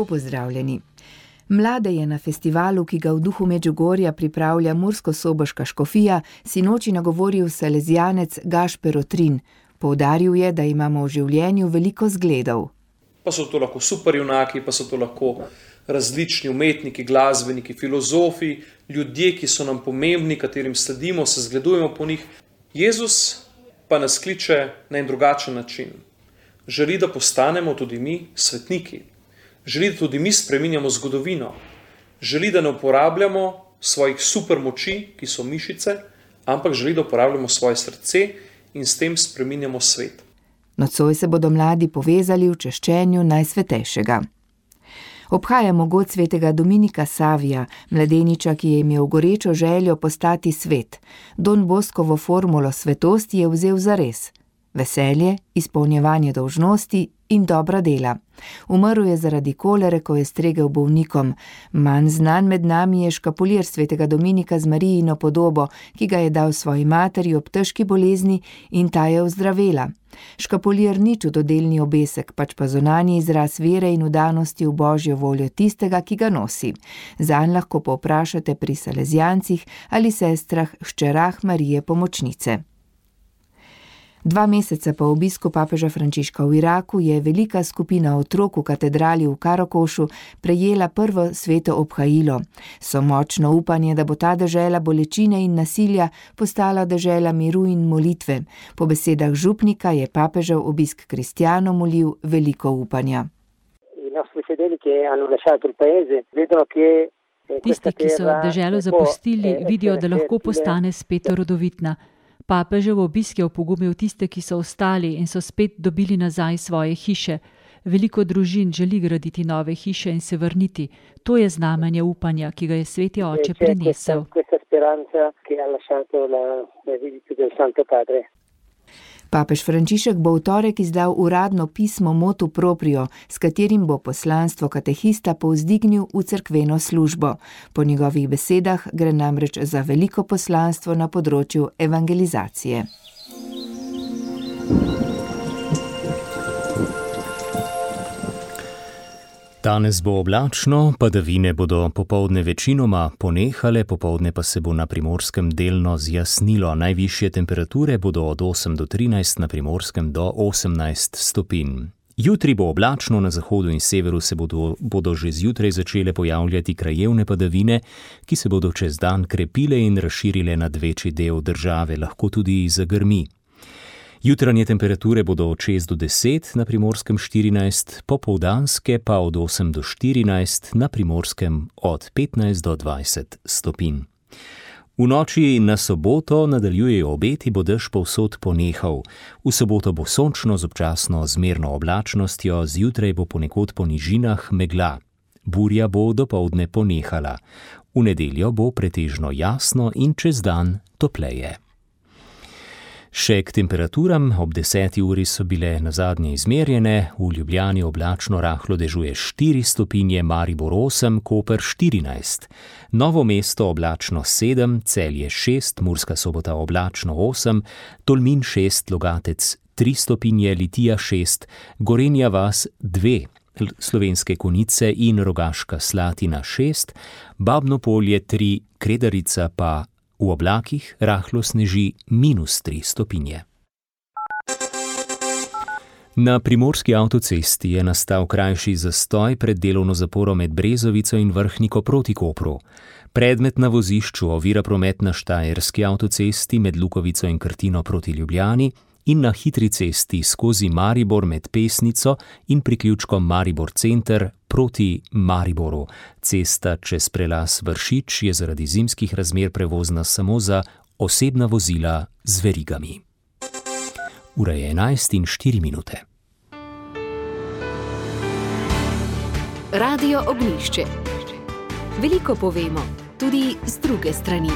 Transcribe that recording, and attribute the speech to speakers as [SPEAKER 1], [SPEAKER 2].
[SPEAKER 1] Lepo pozdravljeni. Mlade je na festivalu, ki ga v duhu Medžugorja pripravlja Mursko-Soboška škofija, sinoči nagovoril salezijanec Gašper Otrin. Poudaril je, da imamo v življenju veliko zgledov.
[SPEAKER 2] Pa so to lahko superjunaki, pa so to lahko različni umetniki, glasbeniki, filozofi, ljudje, ki so nam pomembni, katerim sledimo, se zgledujemo po njih. Jezus pa nas kliče na en drugačen način. Želi, da postanemo tudi mi svetniki. Želi, da tudi mi spreminjamo zgodovino. Želi, da ne uporabljamo svojih supermoči, ki so mišice, ampak želi, da uporabljamo svoje srce in s tem spreminjamo svet.
[SPEAKER 1] Nocoj se bodo mladi povezali v češčenju Najsvetejšega. Obhajamo god svetega Dominika Savija, mladeniča, ki je imel gorečo željo postati svet. Don Boskovo formulo svetosti je vzel zares. Veselje, izpolnjevanje dolžnosti in dobra dela. Umrl je zaradi kolere, ko je stregel bolnikom. Manj znan med nami je škapulir svetega Dominika z Marijino podobo, ki ga je dal svoji materi ob težki bolezni in ta je ozdravela. Škapulir ni čudodelni obesek, pač pa zunanji izraz vere in vdanosti v Božjo voljo tistega, ki ga nosi. Zanj lahko povprašate pri salezijancih ali sestrah, hčerah Marije Pomočnice. 2 meseca po obisku papeža Frančiška v Iraku je velika skupina otrok v katedrali v Karakošu prejela prvo sveto obhajilo. So močno upanje, da bo ta dežela bolečine in nasilja postala dežela miru in molitve. Po besedah župnika je papežev obisk kristjanom molil veliko upanja.
[SPEAKER 3] Tisti, ki so deželo zapustili, vidijo, da lahko postane spet rodovitna. Papežev obisk je opogumil tiste, ki so ostali in so spet dobili nazaj svoje hiše. Veliko družin želi graditi nove hiše in se vrniti. To je znamenje upanja, ki ga je sveti oče prinesel.
[SPEAKER 1] Papež Frančišek bo v torek izdal uradno pismo Motu Proprio, s katerim bo poslanstvo katehista povzdignil v cerkveno službo. Po njegovih besedah gre namreč za veliko poslanstvo na področju evangelizacije.
[SPEAKER 4] Danes bo oblačno, padavine bodo popoldne večinoma ponehale, popoldne pa se bo na Primorskem delno zjasnilo. Najvišje temperature bodo od 8 do 13, na Primorskem do 18 stopinj. Jutri bo oblačno, na zahodu in severu se bodo že zjutraj začele pojavljati krajevne padavine, ki se bodo čez dan krepile in razširile nad večji del države, lahko tudi zagrmi. Jutranje temperature bodo od 6 do 10, na Primorskem 14, popoldanske pa od 8 do 14, na Primorskem od 15 do 20 stopinj. V noči na soboto nadaljujejo obeti, bo dež povsod ponehal. V soboto bo sončno z občasno zmerno oblačnostjo, zjutraj bo ponekod po nižinah megla. Burja bo dopoldne ponehala. V nedeljo bo pretežno jasno in čez dan topleje. Še k temperaturam, ob 10. uri so bile nazadnje izmerjene, v Ljubljani oblačno rahlo dežuje 4 stopinje, Maribor 8, Koper 14. Novo mesto oblačno 7, Celje 6, Murska Sobota oblačno 8, Tolmin 6, Logatec 3 stopinje, Litija 6, Gorenja vas 2, Slovenske Konjice in Rogaška Slatina 6, Babno Polje 3, Kredarica pa v oblakih rahlo sneži -3 stopinje. Na primorski avtocesti je nastal krajši zastoj pred delovno zaporo med Brezovico in Vrhniko proti Kopru. Predmet na vozišču ovira promet na Štajerski avtocesti med Lukovico in Krtino proti Ljubljani in na hitri cesti skozi Maribor med Pesnico in priključkom Maribor center proti Mariboru. Cesta čez prelaz Vršič je zaradi zimskih razmer prevozna samo za osebna vozila z verigami. Ura je 11:04.
[SPEAKER 5] Radio Ognjišče. Veliko povemo, tudi z druge strani.